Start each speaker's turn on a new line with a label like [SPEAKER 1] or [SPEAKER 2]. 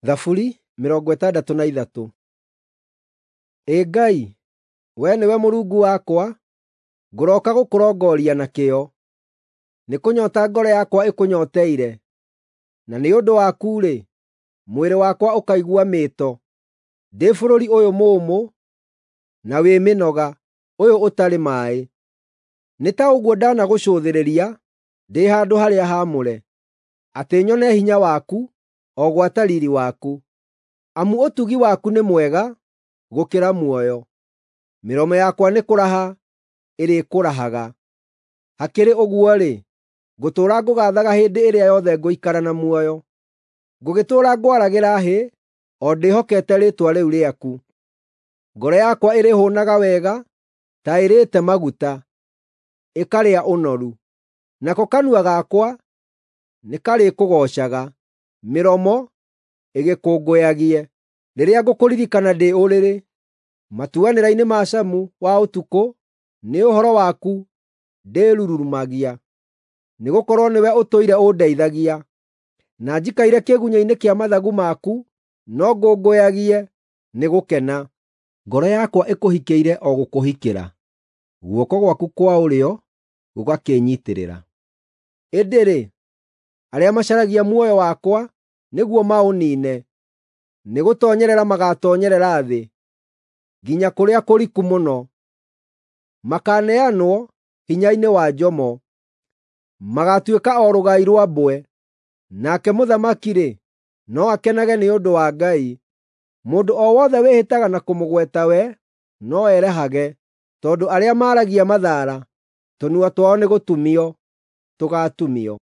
[SPEAKER 1] Thaburi 63. Ĩ Ngai, wee nĩwe Mũrungu wakwa, ngũroka gũkũrongoria na kĩyo. Nĩkũnyoota ngoro yakwa ĩkũnyooteire, na nĩ ũndũ waku-rĩ, mwĩrĩ wakwa ũkaigua mĩĩto, ndĩ bũrũri ũyũ mũũmũ na wĩ mĩnoga, ũyũ ũtarĩ maaĩ. Nĩ ta ũguo ndanagũcũthĩrĩria ndĩ handũ harĩa haamũre, atĩ nyone hinya waku, o gwata riiri waku. Amu ũtugi waku nĩ mwega gũkĩra muoyo, mĩromo yakwa nĩ kũraha ĩrĩkũrahaga. Hakĩrĩ ũguo-rĩ, ngũtũũra ngũgaathaga hĩndĩ ĩrĩa yothe ngũikara na muoyo. Ngũgĩtũũra ngwaragĩra hĩ o ndĩhokete rĩĩtwa rĩu rĩaku. Ngoro yakwa ĩrĩhũũnaga wega ta ĩrĩĩte maguta, ĩkarĩa ũnoru. Nako kanua gakwa nĩkarĩkũgoocaga, mĩromo ĩgĩkũngũyagie. Rĩrĩa ngũkũririkana ndĩ ũrĩrĩ, matuanĩra-inĩ ma camu wa ũtukũ, nĩ ũhoro waku ndĩĩrurumagia, nĩgũkorwo nĩwe ũtũire ũndeithagia. Na njikaire kĩĩgunyĩ-inĩ kĩa mathagu maku no ngũngũyagie nĩ gũkena. Ngoro yakwa ĩkũhikĩire o gũkũhikĩra, guoko gwaku kwa ũrĩo gũgakĩĩnyiitĩrĩra. Ĩndĩ-rĩ, arĩa macaragia muoyo wakwa nĩguo maũniine, nĩgũtoonyerera magatoonyerera thĩ nginya kũrĩa kũriku mũno. Makaaneanwo hinya-inĩ wa njomo, magaatuĩka o rũgai rwa mbwe. Nake mũthamaki-rĩ, no akenage nĩ ũndũ wa Ngai. Mũndũ o wothe wĩhĩtaga na kũmũgweta we no erahage, tondũ arĩa maaragia mathaara, tũnua twao nĩgũtumio tũgaatumio.